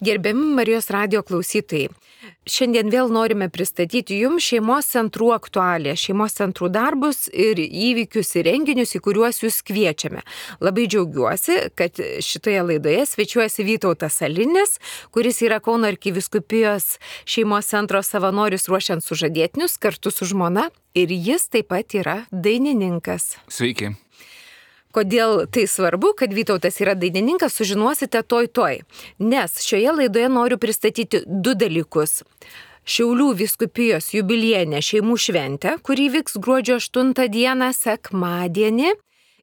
Gerbiami Marijos radijo klausytojai, šiandien vėl norime pristatyti jums šeimos centrų aktualiją, šeimos centrų darbus ir įvykius ir renginius, į kuriuos jūs kviečiame. Labai džiaugiuosi, kad šitoje laidoje svečiuojasi Vytautas Alinis, kuris yra Kauno arkivyskupijos šeimos centro savanoris ruošiant sužadėtinius kartu su žmona, ir jis taip pat yra dainininkas. Sveiki. Kodėl tai svarbu, kad Vytautas yra dainininkas, sužinosite toj. Nes šioje laidoje noriu pristatyti du dalykus. Šiaulių vyskupijos jubiliejinę šeimų šventę, kuri vyks gruodžio 8 dieną sekmadienį,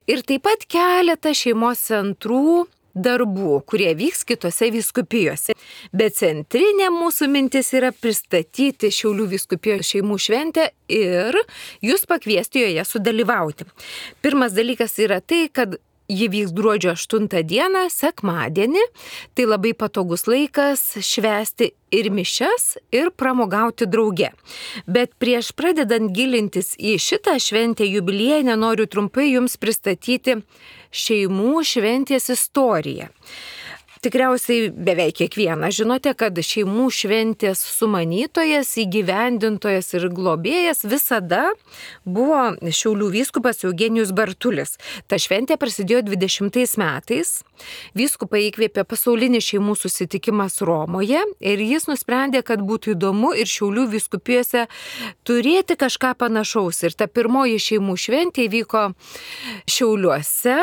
ir taip pat keletą šeimos centrų darbų, kurie vyks kitose vyskupijose. Bet centrinė mūsų mintis yra pristatyti Šiaulių vyskupijos šeimų šventę ir jūs pakviesti joje sudalyvauti. Pirmas dalykas yra tai, kad ji vyks gruodžio 8 dieną, sekmadienį. Tai labai patogus laikas švęsti ir mišias, ir pramogauti drauge. Bet prieš pradedant gilintis į šitą šventę jubiliejinę, noriu trumpai jums pristatyti šeimų šventės istoriją. Tikriausiai beveik kiekvienas žinote, kad šeimų šventės sumanytojas, įgyvendintojas ir globėjas visada buvo Šiaulių vyskupas Eugenijus Bartulis. Ta šventė prasidėjo 20 metais. Vyskupą įkvėpė pasaulinis šeimų susitikimas Romoje ir jis nusprendė, kad būtų įdomu ir Šiaulių vyskupijose turėti kažką panašaus. Ir ta pirmoji šeimų šventė vyko Šiauliuose,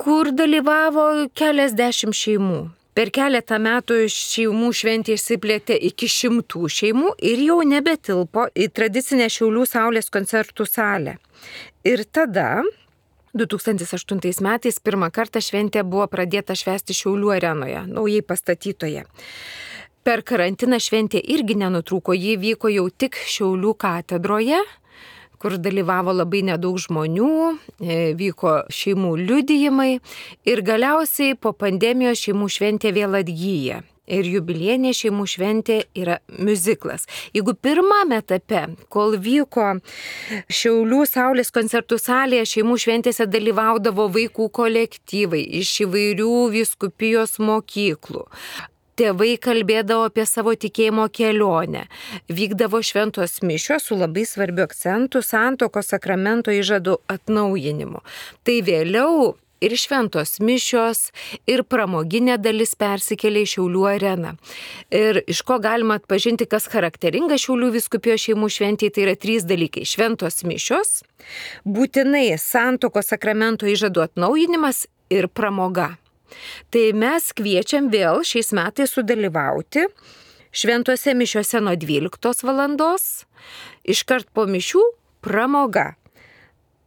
kur dalyvavo keliasdešimt šeimų. Per keletą metų šeimų šventė išsiplėtė iki 100 šeimų ir jau nebetilpo į tradicinę Šiaulių Saulės koncertų salę. Ir tada 2008 metais pirmą kartą šventė buvo pradėta švęsti Šiaulių arenoje, naujai pastatytoje. Per karantiną šventė irgi nenutrūko, ji vyko jau tik Šiaulių katedroje, kur dalyvavo labai nedaug žmonių, vyko šeimų liudijimai ir galiausiai po pandemijos šeimų šventė vėl atgyja. Ir jubiliejinė šeimų šventė yra miuziklas. Jeigu pirmame etape, kol vyko Šiaulių Saulės koncertų salėje, šeimų šventėse dalyvaudavo vaikų kolektyvai iš įvairių vyskupijos mokyklų. Tėvai kalbėdavo apie savo tikėjimo kelionę. Vykdavo šventos mišios su labai svarbiu akcentu santuokos sakramento įžadų atnaujinimu. Tai vėliau ir šventos mišios, ir pramoginė dalis persikėlė į Šiaulių areną. Ir iš ko galima atpažinti, kas charakteringa Šiaulių vyskupijos šeimų šventėje, tai yra 3 dalykai. Šventos mišios, būtinai santuokos sakramento įžadų atnaujinimas ir pramoga. Tai mes kviečiam vėl šiais metais sudalyvauti šventose mišiose nuo 12 valandos, iškart po mišių pramoga.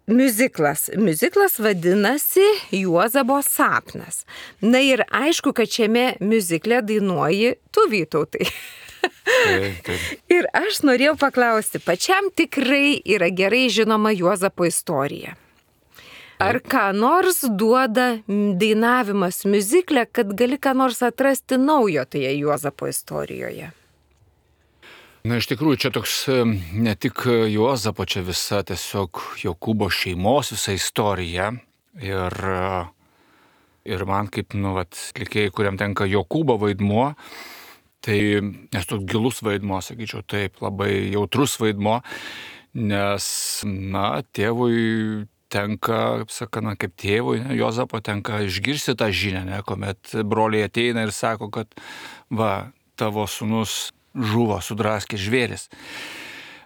Miuziklas vadinasi Juozabo sapnas. Na ir aišku, kad šiame miuzikle dainuoji tu, Vytautai. Taip. Ir aš norėjau paklausti, pačiam tikrai yra gerai žinoma Juozapo istorija. Ar ką nors duoda dainavimas miuzikle, kad gali ką nors atrasti naujo toje Juozapo istorijoje? Na, iš tikrųjų, čia toks ne tik Juozapo, čia visa tiesiog Jokūbo šeimos visa istorija. Ir man kaip, atlikėjai, kuriam tenka Jokūbo vaidmuo, tai nes toks gilus vaidmuo, sakyčiau, taip, labai jautrus vaidmuo, nes, tėvui tenka, kaip tėvui, Juozapo tenka išgirsti tą žinią, kuomet broliai ateina ir sako, kad tavo sūnus žuvo, sudraskė žvėris.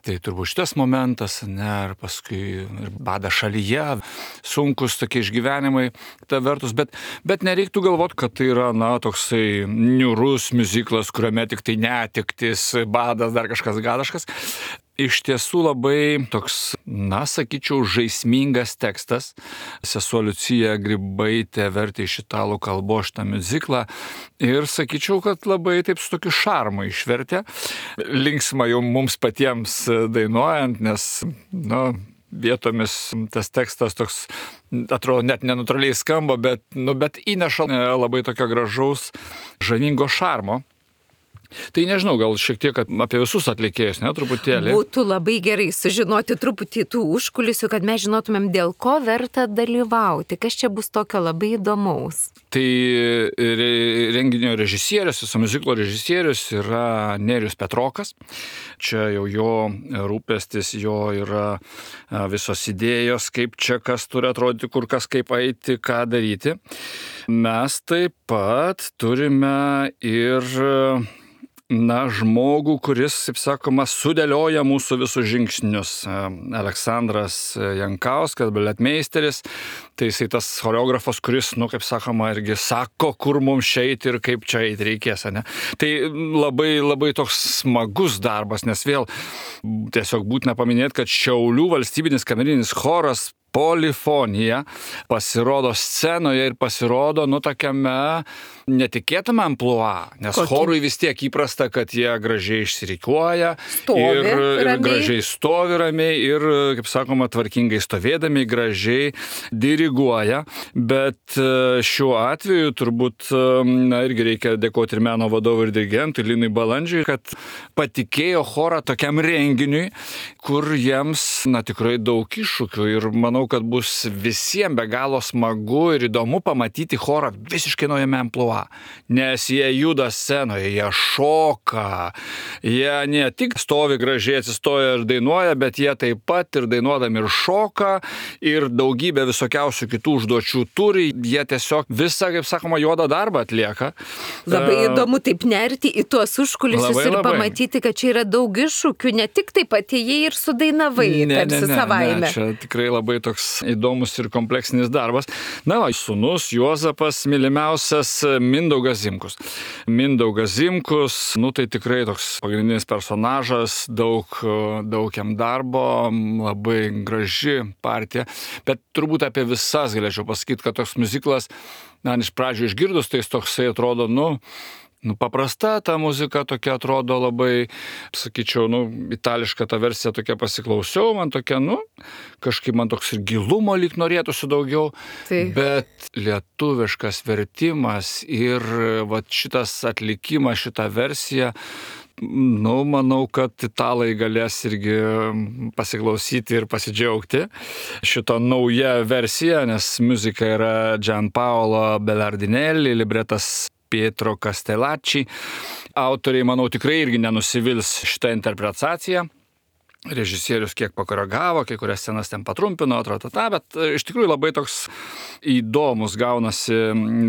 Tai turbūt šitas momentas, ir paskui ir bada šalyje, sunkus tokie išgyvenimai, ta vertus, bet nereiktų galvoti, kad tai yra, toksai niūrus miuziklas, kuriame tik tai netektis, badas, dar kažkas gadaškas. Iš tiesų labai toks, sakyčiau, žaismingas tekstas. Sesuo Liucija Grybaitė vertė iš italų kalbos šitą miuziklą ir sakyčiau, kad labai taip su tokiu šarmu išvertė. Linksma jau mums patiems dainuojant, nes, vietomis tas tekstas toks, atrodo, net nenatūraliai skamba, bet įneša labai tokio gražaus, žavingo šarmo. Tai nežinau, gal šiek tiek apie visus atlikėjus, ne, truputėlį. Būtų labai gerai sužinoti truputį tų užkulisių, kad mes žinotumėm, dėl ko verta dalyvauti, kas čia bus tokio labai įdomaus. Tai renginio režisierius, viso miuziklo režisierius yra Nerijus Petrokas. Čia jau jo rūpestis, jo yra visos idėjos, kaip čia kas turi atrodyti, kur kas kaip eiti, ką daryti. Mes taip pat turime ir žmogų, kuris, kaip sakoma, sudėlioja mūsų visus žingsnius. Aleksandras Jankauskas, baletmeisteris, tai jisai tas choreografas, kuris, kaip sakoma, irgi sako, kur mums eiti ir kaip čia eiti reikės, ne? Tai labai, labai toks smagus darbas, nes vėl tiesiog būtina paminėti, kad Šiaulių valstybinis kamerinis choras Polifonija pasirodo scenoje ir pasirodo, tokiame netikėtame amplua, nes chorui vis tiek įprasta, kad jie gražiai išsirikiuoja ir gražiai stovi ramiai ir, kaip sakoma, tvarkingai stovėdami, gražiai diriguoja, bet šiuo atveju turbūt irgi reikia dėkoti ir meno vadovui ir dirigentui Linui Balandžiui, kad patikėjo chorą tokiam renginiui, kur jiems, tikrai daug iššūkių ir manau, kad bus visiems be galo smagu ir įdomu pamatyti chorą visiškai naujame amplua. Nes jie juda scenoje, jie šoka, jie ne tik stovi gražiai atsistoja ir dainuoja, bet jie taip pat ir dainuodami ir šoka ir daugybę visokiausių kitų užduočių turi, jie tiesiog visą, kaip sakoma, juodą darbą atlieka. Labai įdomu taip nerti į tuos užkulisius ir pamatyti, kad čia yra daug iššūkių, ne tik taip atėjai ir sudainavai, tarsi savaime. Ne, čia tikrai labai toks įdomus ir kompleksinis darbas. Sūnus Juozapas, mylimiausias Mindaugas Zimkus. Mindaugas Zimkus, tai tikrai toks pagrindinis personažas, daug jam darbo, labai graži partija, bet turbūt apie visas galėčiau pasakyti, kad toks miuziklas, iš pradžių išgirdus, tai jis toksai atrodo, paprasta ta muzika tokia atrodo labai, sakyčiau, itališka ta versija tokia pasiklausiau, man tokia, kažkaip man toks ir gilumo lyg norėtųsi daugiau, bet lietuviškas vertimas ir šitas atlikimas, šita versija, manau, kad italai galės irgi pasiklausyti ir pasidžiaugti šito nauja versija, nes muzika yra Gianpaolo Belardinelli, libretas Pietro Castellacci. Autoriai, manau, tikrai irgi nenusivils šitą interpretaciją. Režisierius kiek pakoregavo, kai kurias scenas ten patrumpino, bet iš tikrųjų labai toks įdomus gaunasi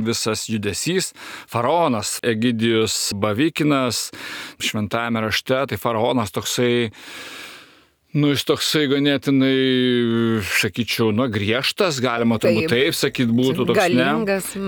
visas judesys. Faraonas Egidijus Bavikinas, šventajame rašte, tai faraonas toksai, jis toksai ganėtinai, sakyčiau, griežtas, galima turbūt taip sakyti, būtų toks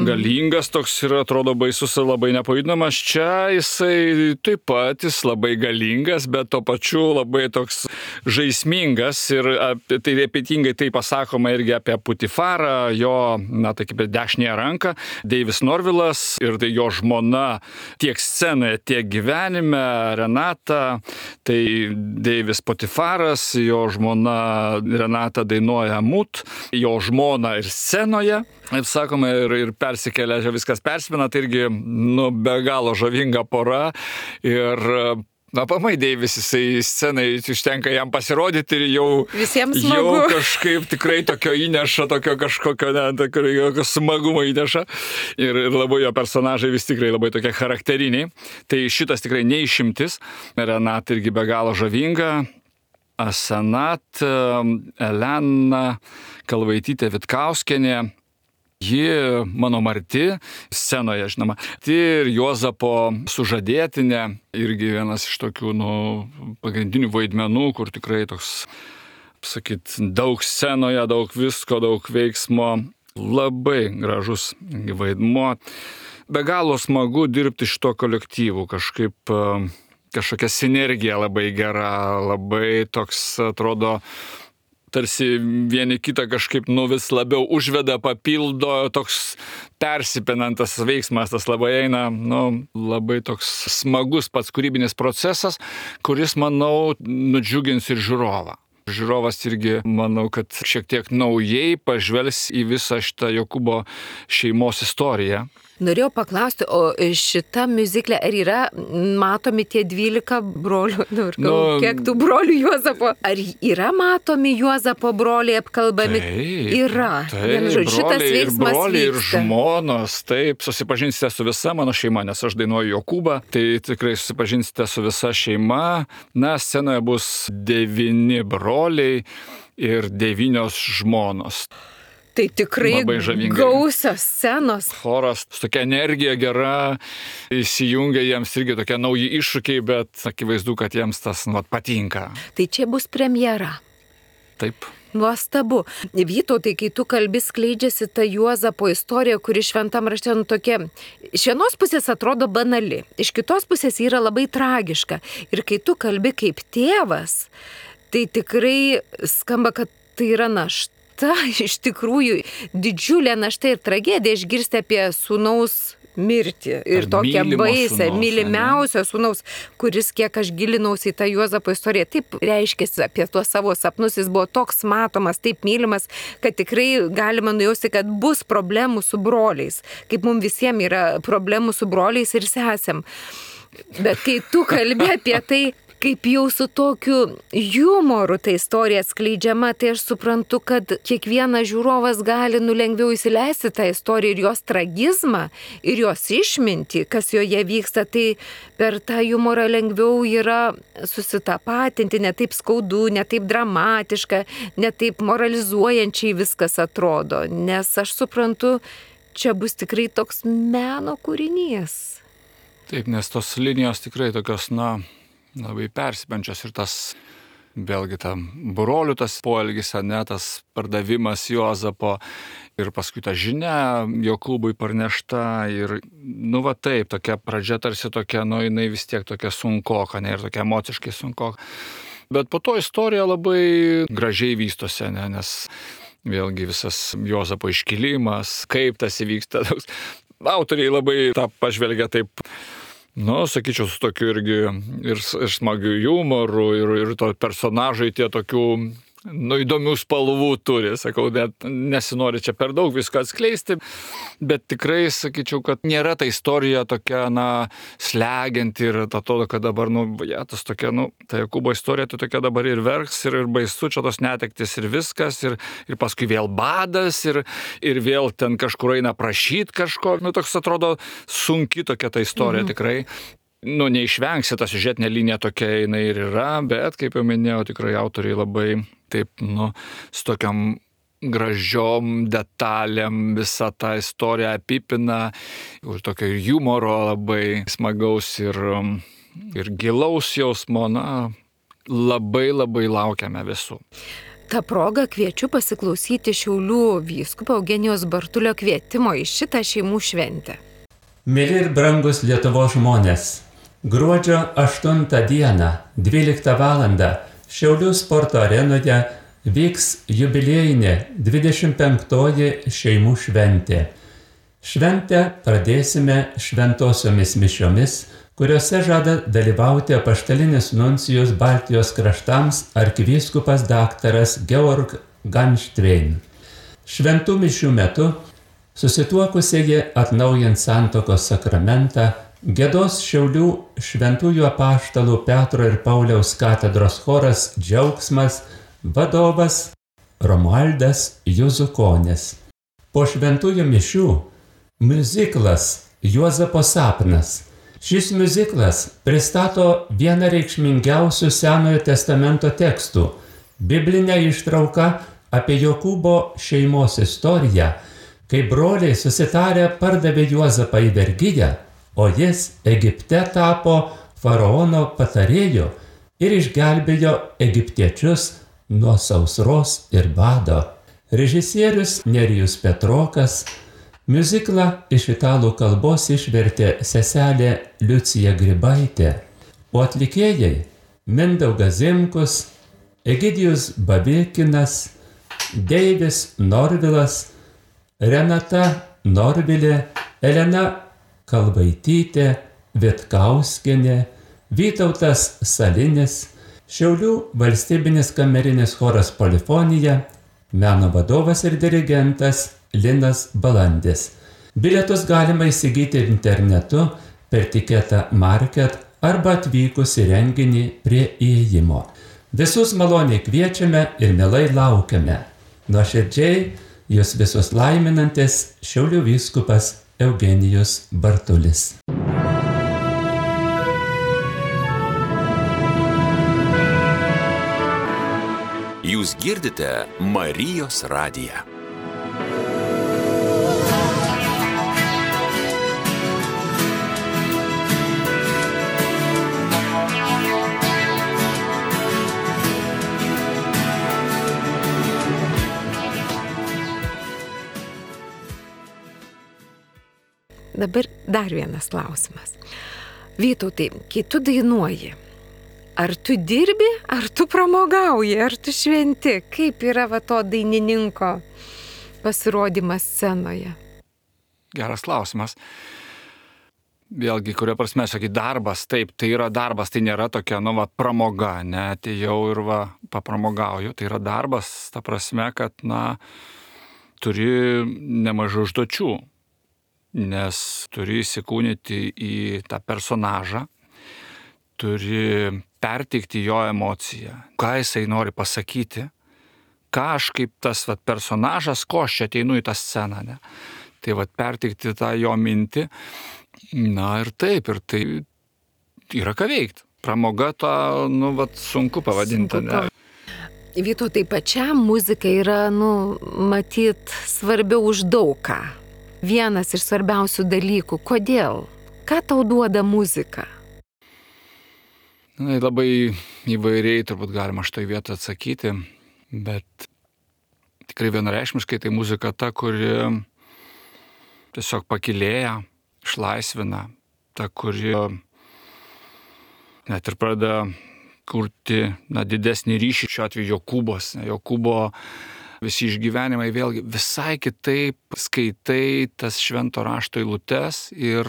galingas toks ir atrodo baisus ir labai nepajudinamas. Čia jisai taip pat, jis labai galingas, bet to pačiu labai toks žaismingas ir tai ypatingai tai pasakoma irgi apie Putifarą, jo, tai kaip dešinėje ranką, Deivis Norvilas ir tai jo žmona tiek scenoje, tiek gyvenime, Renata, tai Deivis Putifaras, jo žmona Renata dainuoja Mut, jo žmona ir scenoje, kaip sakoma, ir persikelia, viskas persipina, tai irgi, be galo žavinga pora ir pamai Deivis, jisai scenai užtenka jam pasirodyti ir jau kažkaip tikrai tokio įneša, tokio kažkokio smagumo įneša ir labai jo personažai vis tikrai labai tokie charakteriniai. Tai šitas tikrai neišimtis. Renata irgi be galo žavinga. Asenat Elena Kalvaitytė Vitkauskienė. Ji mano marti, scenoje, žinoma. Ir Juozapo sužadėtinė, irgi vienas iš tokių pagrindinių vaidmenų, kur tikrai toks, daug scenoje, daug visko, daug veiksmo. Labai gražus vaidmuo. Be galo smagu dirbti šito kolektyvu, kažkokia sinergija labai gera, labai toks atrodo, tarsi vieni kitą kažkaip vis labiau užveda, papildo, toks persipinantas veiksmas, tas labai eina, labai toks smagus pats kūrybinis procesas, kuris, manau, nudžiugins ir žiūrovą. Žiūrovas irgi, manau, kad šiek tiek naujai pažvelgs į visą šitą Jokūbo šeimos istoriją. Norėjau paklausti, o šita miuziklė, ar yra matomi tie 12 brolių, kiek tų brolių Juozapo, ar yra matomi Juozapo broliai apkalbami? Yra. Šitas veiksmas broliai ir žmonos, taip, susipažinsite su visa mano šeima, nes aš dainuoju Jokūbą, tai tikrai susipažinsite su visa šeima. Na, scenoje bus 9 broliai ir 9 žmonos. Tai tikrai gausios scenos. Choras, tokia energija gera, įsijungia jiems irgi tokie nauji iššūkiai, bet akivaizdu, kad jiems tas patinka. Tai čia bus premjera. Taip. Nuostabu. Vytautai, kai tu kalbi, skleidžiasi ta Juozapo istorija, kuri šventam rašte tokia, iš vienos pusės atrodo banali, iš kitos pusės yra labai tragiška. Ir kai tu kalbi kaip tėvas, tai tikrai skamba, kad tai yra našta. Iš tikrųjų didžiulė našta ir tragedija išgirsti apie sūnaus mirtį ir tokią baisę, mylimiausio sūnaus, kuris, kiek aš gilinausi į tą Juozapo istoriją, taip reiškėsi apie tuos savo sapnus, jis buvo toks matomas, taip mylimas, kad tikrai galima nujausti, kad bus problemų su broliais, kaip mums visiems yra problemų su broliais ir sesėm. Bet kai tu kalbi apie tai, kaip jau su tokiu jumoru ta istorija atskleidžiama, tai aš suprantu, kad kiekvienas žiūrovas gali lengviau įsileisti tą istoriją ir jos tragizmą, ir jos išmintį, kas joje vyksta, tai per tą jumorą lengviau yra susitapatinti, ne taip skaudu, ne taip dramatiška, ne taip moralizuojančiai viskas atrodo, nes aš suprantu, čia bus tikrai toks meno kūrinys. Taip, nes tos linijos tikrai tokios, labai persipenčios ir tas, vėlgi, tam brolių tas poelgis, tas pardavimas Juozapo ir paskui ta žinia Jokūbui parnešta ir, taip, tokia pradžia tarsi tokia, jinai vis tiek tokia sunkoka, ir tokia emociškai sunkoka. Bet po to istorija labai gražiai vystosi, nes vėlgi visas Juozapo iškilimas, kaip tas įvyksta. Autoriai labai tą pažvelgia taip, sakyčiau, su tokiu irgi ir smagiu jumoru ir to personažai tie tokių, įdomių spalvų turi, sakau, net nesinori čia per daug viską atskleisti, bet tikrai sakyčiau, kad nėra ta istorija tokia, slegianti ir atrodo, kad dabar, tas tokia, ta Jokūbo istorija, tai tokia dabar ir verks, ir baisu, čia tos netektis ir viskas, ir paskui vėl badas, ir vėl ten kažkur eina prašyti kažko, toks atrodo sunki tokia ta istorija tikrai. Neišvengsi, ta siužetinė linija tokia jinai ir yra, bet, kaip jau minėjau, tikrai autoriai labai taip, su tokiam gražiom detalėm visą tą istoriją apipina, ir tokio humoro labai smagaus ir gilaus jausmo, labai labai laukiame visų. Ta proga kviečiu pasiklausyti Šiaulių vyskupo Eugenijaus Bartulio kvietimo į šitą šeimų šventę. Mėly ir brangus Lietuvos žmonės, gruodžio 8 dieną, 12 valandą, Šiaulių sporto arenoje vyks jubiliejinė 25-oji šeimų šventė. Šventę pradėsime šventosiomis mišiomis, kuriuose žada dalyvauti apaštalinis nuncijus Baltijos kraštams arkivyskupas daktaras Georg Ganštvein. Šventų mišių metu susituokusieji atnaujins santuokos sakramentą, giedos Šiaulių šventųjų apaštalų Petro ir Pauliaus katedros choras Džiaugsmas, vadovas Romualdas Juzukonis. Po šventųjų mišių miuziklas Juozapo sapnas. Šis miuziklas pristato vieną reikšmingiausių Senojo testamento tekstų, biblinę ištrauką apie Jokūbo šeimos istoriją, kai broliai susitarę pardavė Juozapą į vergiją, o jis Egipte tapo faraono patarėju ir išgelbėjo egiptiečius nuo sausros ir bado. Režisierius Nerijus Petrokas, miuziklą iš italų kalbos išvertė seselė Liucija Grybaitė, o atlikėjai Mindaugas Zimkus, Egidijus Bavikinas, Deivis Norvilas, Renata Norvilė, Elena Kalvaitytė, Vitkauskienė, Vytautas Salinis, Šiaulių valstybinis kamerinis choras Polifonija, meno vadovas ir dirigentas Linas Balandis. Bilietus galima įsigyti internetu per Tiketą Market arba atvykus į renginį prie įėjimo. Visus maloniai kviečiame ir mielai laukiame. Nuoširdžiai jūs visus laiminantis Šiaulių vyskupas Eugenijus Bartulis. Jūs girdite Marijos radiją. Dabar dar vienas klausimas. Vytautai, kai tu dainuoji, ar tu dirbi, ar tu pramogauji, ar tu šventi? Kaip yra to dainininko pasirodymas scenoje? Geras klausimas. Vėlgi, kuria prasme, sakai, darbas, taip, tai yra darbas, tai nėra tokia, pramoga, ne, atėjau ir papramogauju, tai yra darbas, ta prasme, kad, turi nemažai užduočių, nes turi įsikūnyti į tą personažą, turi perteikti jo emociją, ką jisai nori pasakyti, ką aš kaip tas personažas, ko aš čia ateinu į tą sceną, ne? Tai perteikti tą jo mintį, ir taip, ir tai yra ką veikti. Pramoga tą, sunku pavadinti, ne? Vytautai, pačiam muzika yra, matyt, svarbiau už daug ką. Vienas iš svarbiausių dalykų. Kodėl? Ką tau duoda muzika? Labai įvairiai turbūt galima šitoj vietoj atsakyti, bet tikrai vienareikšmiškai tai muzika ta, kuri tiesiog pakylėja, išlaisvina, ta, kuri net ir pradeda kurti didesnį ryšį, šiuo atveju Jokūbos. Jokūbo visi išgyvenimai vėlgi visai kitaip skaitai tas švento rašto eilutes ir,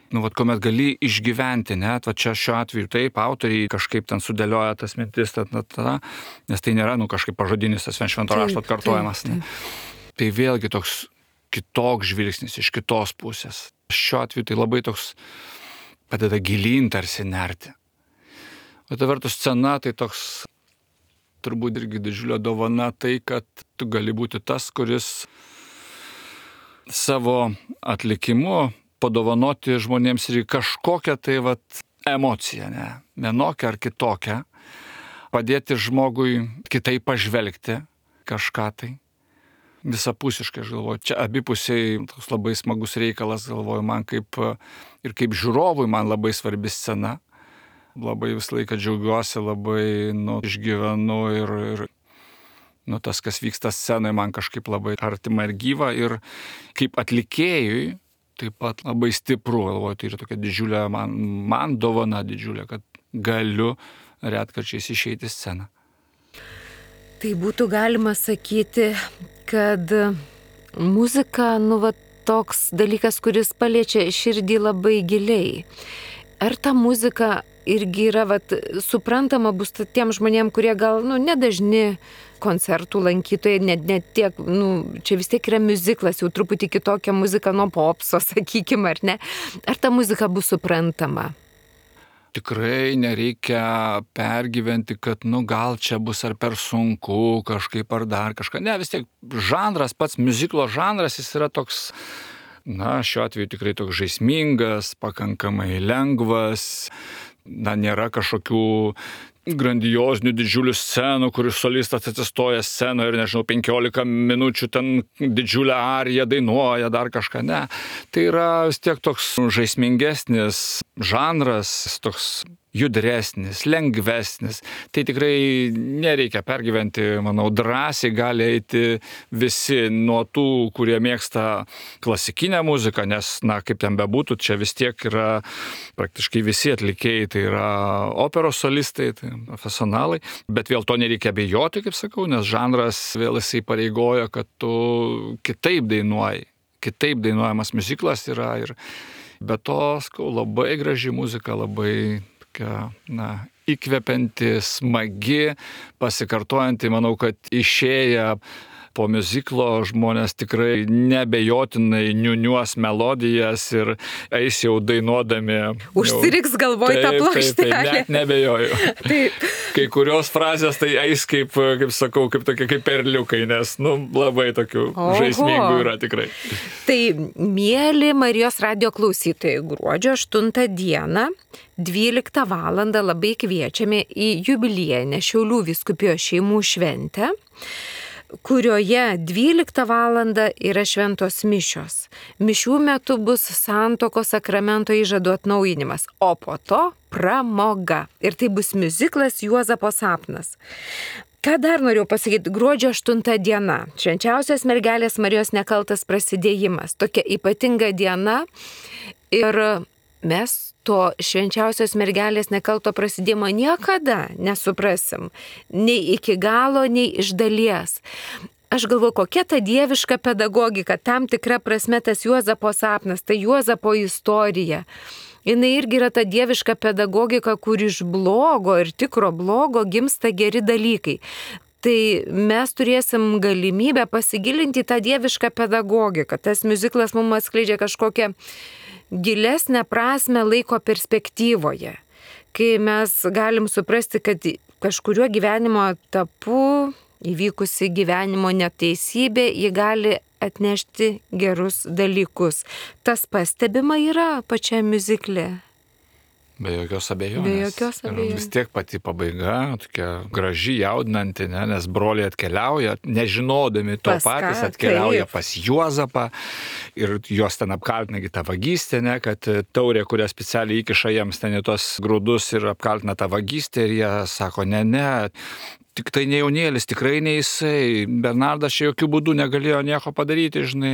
kuomet gali išgyventi, net, čia šiuo atveju taip, autoriai kažkaip ten sudėlioja tas mintis, nes tai nėra, kažkaip pažodinis tas švento rašto atkartojimas. Tai vėlgi toks kitoks žvilgsnis iš kitos pusės. Šiuo atveju tai labai toks padeda gilyn tarsi nerti. O ta vertus scena tai toks turbūt irgi didžiulio dovana tai, kad tu gali būti tas, kuris savo atlikimu padovanoti žmonėms ir kažkokią tai emociją, ne, vienokią ar kitokią, padėti žmogui kitaip pažvelgti kažką tai. Visapusiškai, aš galvoju, čia abipusiai toks labai smagus reikalas, galvoju, man kaip žiūrovui man labai svarbi scena. Labai visą laiką džiaugiuosi, labai išgyvenu ir tas, kas vyksta scenoje, man kažkaip labai artima ir gyva. Ir kaip atlikėjui taip pat labai stipru, galvoju, tai yra tokia didžiulė, man dovana didžiulė, kad galiu retkarčiais išeiti į sceną. Tai būtų galima sakyti, kad muzika, toks dalykas, kuris paliečia širdį labai giliai. Ar ta muzika irgi yra, suprantama bus tiem žmonėm, kurie gal, nedažni koncertų lankytojai, net tiek, čia vis tiek yra miuziklas, jau truputį kitokia muzika nuo popso, sakykime, ar ne? Ar ta muzika bus suprantama? Tikrai nereikia pergyventi, kad, gal čia bus ar per sunku kažkaip ar dar kažką. Ne, vis tiek žanras, pats miuziklo žanras, jis yra toks, šiuo atveju tikrai toks žaismingas, pakankamai lengvas, nėra kažkokių grandiozinių didžiulių scenų, kur solistas atsistoja scenoje ir, 15 minučių ten didžiulę ariją dainuoja, dar kažką, ne. Tai yra vis tiek toks žaismingesnis žanras, toks judresnis, lengvesnis. Tai tikrai nereikia pergyventi, manau, drąsiai gali eiti visi nuo tų, kurie mėgsta klasikinę muziką, nes, kaip ten bebūtų, čia vis tiek yra praktiškai visi atlikėjai, tai yra operos solistai, tai profesionalai, bet vėl to nereikia bijoti, kaip sakau, nes žanras vėl jisai pareigoja, kad tu kitaip dainuoji. Kitaip dainuojamas miuziklas yra ir be to, labai graži muzika, labai įkvepianti, smagi, pasikartojanti, manau, kad išėję po miuziklo žmonės tikrai nebejotinai niuniuos melodijas ir eis jau dainuodami. Užsiriks galvoj tą plokštelę. Taip, net nebejoju. Taip. Kai kurios frazės tai eis kaip sakau, kaip perliukai, nes labai tokių žaismingų yra tikrai. Tai mieli Marijos radijo klausytojai, gruodžio 8 dieną 12 val. Labai kviečiame į jubiliejinę Šiaulių vyskupijos šeimų šventę, kurioje 12 val. Yra šventos mišios. Mišių metu bus santuokos sakramento įžadų atnaujinimas, o po to pramoga. Ir tai bus miuziklas Juozapo sapnas. Ką dar noriu pasakyti, gruodžio 8 diena, švenčiausios mergelės Marijos nekaltas prasidėjimas, tokia ypatinga diena ir mes to švenčiausios mergelės nekalto prasidėjimo niekada nesuprasim, nei iki galo, nei iš dalies. Aš galvoju, kokia ta dieviška pedagogika, tam tikra prasme tas Juozapo sapnas, ta Juozapo istorija. Jis irgi yra ta dieviška pedagogika, kur iš blogo ir tikro blogo gimsta geri dalykai. Tai mes turėsim galimybę pasigilinti tą dievišką pedagogiką. Tas miuziklas mums atskleidžia kažkokią gilesnę prasme laiko perspektyvoje. Kai mes galim suprasti, kad kažkuriuo gyvenimo etapu įvykusi gyvenimo neteisybė, ji gali atnešti gerus dalykus. Tas pastebima yra pačiame miuzikle. Be jokios abejonės. Be jokios abejonės. Vis tiek pati pabaiga, tokia graži, jaudinanti, nes broliai atkeliauja, nežinodami to patys atkeliauja pas Juozapą ir juos ten apkaltina tą vagystę, kad taurė, kurią specialiai įkiša jiems ten į tos grūdus ir apkaltina tą vagystę ir jie sako, ne, tik tai ne jaunėlis, tikrai ne jisai. Bernardas čia jokių būdų negalėjo nieko padaryti, žinai.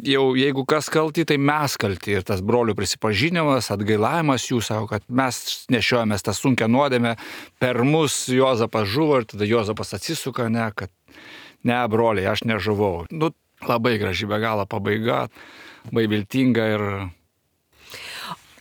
Jau jeigu kas kalti, tai mes kalti. Ir tas brolių prisipažinimas, atgailavimas jų, sako, kad mes nešiojamės tą sunkią nuodėmę, per mus Juozapas žuvo ir tada Juozapas atsisuka, kad ne, broliai, aš nežuvau. Labai graži be galo pabaiga, labai viltinga ir...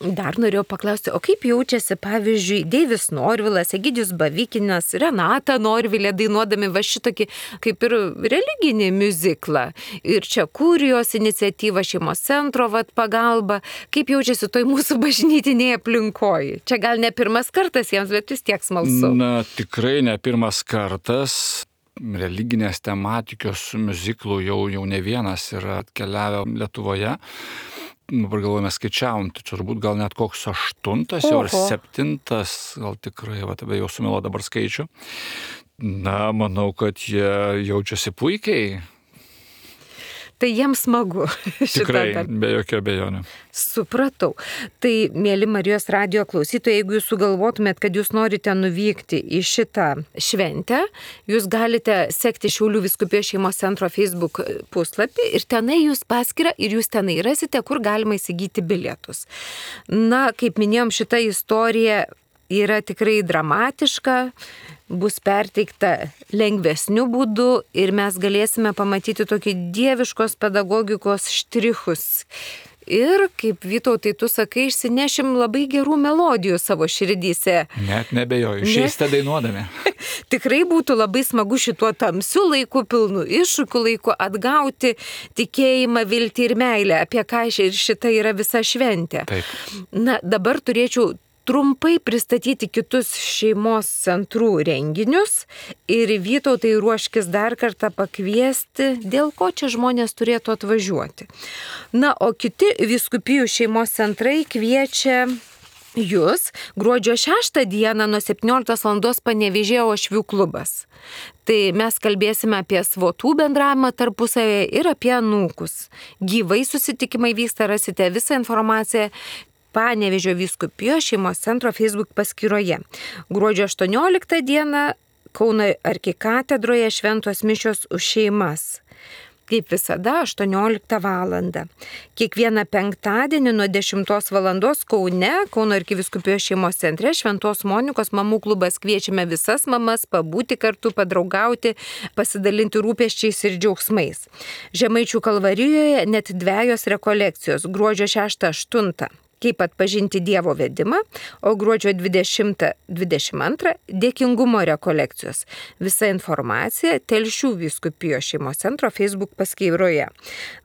Dar norėjau paklausti, o kaip jaučiasi, pavyzdžiui, Deivis Norvilas, Egidijus Bavikinas, Renata Norvilė dainuodami va šitokį kaip ir religinį miuziklą. Ir čia Kurijos iniciatyva, šeimos centro pagalba. Kaip jaučiasi toj mūsų bažnytinėje aplinkoje? Čia gal ne pirmas kartas jiems, bet vis tiek smalsu. Tikrai ne pirmas kartas. Religinės tematikos miuziklų jau ne vienas yra atkeliavę Lietuvoje. Dabar galvojame, skaičiavom, tai turbūt gal net koks 8 jau ar 7, gal tikrai, jau sumilo dabar skaičių. Manau, kad jie jaučiasi puikiai. Tai jiems smagu. Tikrai, be jokio abejonių. Supratau. Tai, mėly Marijos radijo klausytojai, jeigu jūs sugalvotumėt, kad jūs norite nuvykti į šitą šventę, jūs galite sekti Šiaulių vyskupijos šeimos centro Facebook puslapį ir tenai jūs paskyrą ir jūs tenai rasite, kur galima įsigyti bilietus. Kaip minėjom, šita istorija yra tikrai dramatiška, bus perteikta lengvesniu būdu ir mes galėsime pamatyti tokį dieviškos pedagogikos štrichus. Ir, kaip Vytautai, tu sakai, išsinešim labai gerų melodijų savo širdyse. Net nebejoju, išeisite dainuodami. Tikrai būtų labai smagu šituo tamsiu laiku, pilnu iššūkių laiku atgauti tikėjimą, viltį ir meilę, apie ką ir šita yra visa šventė. Taip. Dabar turėčiau trumpai pristatyti kitus šeimos centrų renginius ir Vytautai ruoškis dar kartą pakviesti, dėl ko čia žmonės turėtų atvažiuoti. O kiti vyskupijų šeimos centrai kviečia jūs gruodžio 6 dieną nuo 17 val. Panevėžėjo Uošvių klubas. Tai mes kalbėsime apie svotų bendravimą tarpusavėje ir apie anūkus. Gyvai susitikimai vyksta, rasite visą informaciją Panevėžio vyskupijos šeimos centro Facebook paskyroje. Gruodžio 18 dieną Kauno arkikatedroje šventos mišios už šeimas. Kaip visada, 18 val. Kiekvieną penktadienį nuo 10 val. Kaune, Kauno arkivyskupijos šeimos centre, Šventos Monikos mamų klubas kviečiame visas mamas pabūti kartu, padraugauti, pasidalinti rūpesčiais ir džiaugsmais. Žemaičių Kalvarijoje net 2 rekolekcijos, gruodžio 6-8. kaip atpažinti Dievo vedimą, o gruodžio 20-22 dėkingumo rekolekcijos. Visa informacija Telšių vyskupijos šeimos centro Facebook paskyroje.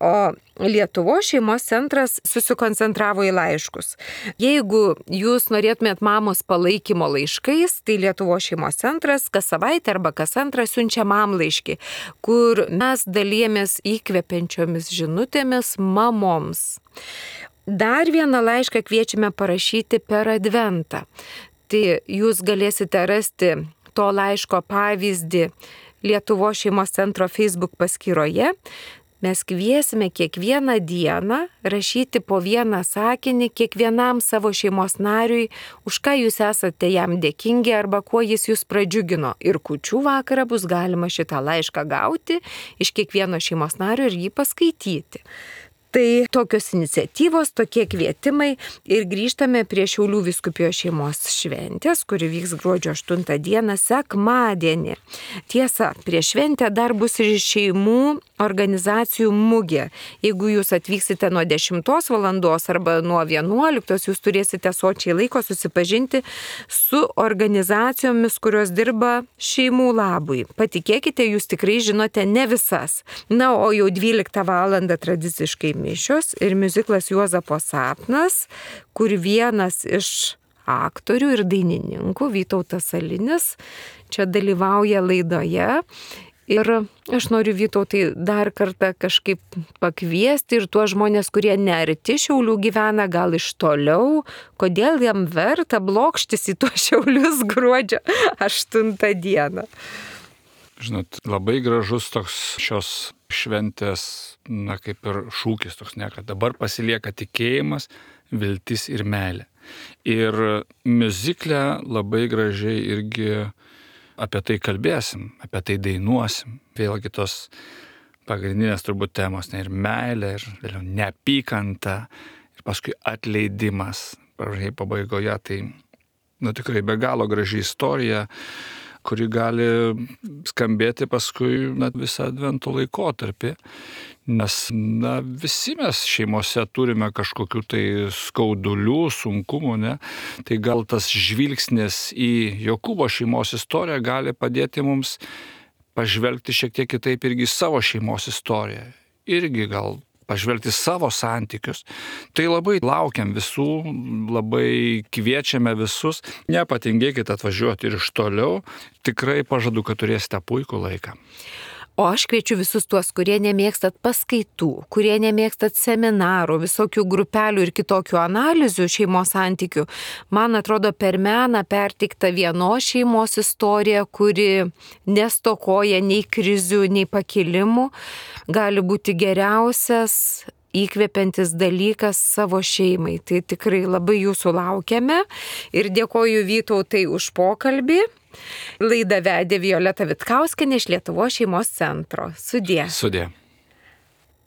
O Lietuvos šeimos centras susikoncentravo į laiškus. Jeigu jūs norėtumėt mamos palaikymo laiškais, tai Lietuvos šeimos centras kas savaitę arba kas antrą siunčia mam laiškį, kur mes dalijamės įkvepiančiomis žinutėmis mamoms. Dar vieną laišką kviečiame parašyti per Adventą. Tai jūs galėsite rasti to laiško pavyzdį Lietuvos šeimos centro Facebook paskyroje. Mes kviesime kiekvieną dieną rašyti po vieną sakinį kiekvienam savo šeimos nariui, už ką jūs esate jam dėkingi arba kuo jis jūs pradžiugino. Ir kūčių vakarą bus galima šitą laišką gauti iš kiekvieno šeimos nario ir jį paskaityti. Tai tokios iniciatyvos, tokie kvietimai ir grįžtame prie Šiaulių vyskupijos šeimos šventės, kuri vyks gruodžio 8 dieną sekmadienį. Tiesa, prieš šventę dar bus ir šeimų organizacijų mugė. Jeigu jūs atvyksite nuo 10 valandos arba nuo 11, jūs turėsite sočiai laiko susipažinti su organizacijomis, kurios dirba šeimų labui. Patikėkite, jūs tikrai žinote ne visas. Na, o jau 12 valandą tradiciškai mišios ir miuziklas Juozapo sapnas, kur vienas iš aktorių ir dainininkų, Vytautas Salinis, čia dalyvauja laidoje. Ir aš noriu, Vytautai, dar kartą kažkaip pakviesti ir tuos žmonės, kurie nearti Šiaulių gyvena, gal iš toliau, kodėl jam verta blokštis į tuos Šiaulius gruodžio 8 dieną. Žinot, labai gražus toks šios šventės, kaip ir šūkis toks, kad dabar pasilieka tikėjimas, viltis ir meilė. Ir miuzikle labai gražiai irgi apie tai kalbėsim, apie tai dainuosim. Vėlgi tos pagrindinės turbūt temos, ir meilė, ir neapykanta, ir paskui atleidimas. Pabaigoje tai tikrai be galo graži istorija, kuri gali skambėti paskui visą advento laikotarpį, nes visi mes šeimose turime kažkokių tai skaudulių, sunkumų, ne? Tai gal tas žvilgsnis į Jokūbo šeimos istoriją gali padėti mums pažvelgti šiek tiek kitaip irgi savo šeimos istoriją, irgi gal pažvelgti savo santykius. Tai labai laukiam visų, labai kviečiame visus, nepatingėkite atvažiuoti ir iš toliau, tikrai pažadu, kad turėsite puikų laiką. O aš kviečiu visus tuos, kurie nemėgstat paskaitų, kurie nemėgstat seminarų, visokių grupelių ir kitokių analizių šeimos santykių. Man atrodo, per meną perteikta vienos šeimos istorija, kuri nestokoja nei krizių, nei pakilimų, gali būti geriausias įkvepiantis dalykas savo šeimai. Tai tikrai labai jūsų laukiame ir dėkoju Vytautai už pokalbį. Laidą vedė Violeta Vitkauskienė iš Lietuvos šeimos centro. Sudie. Sudie.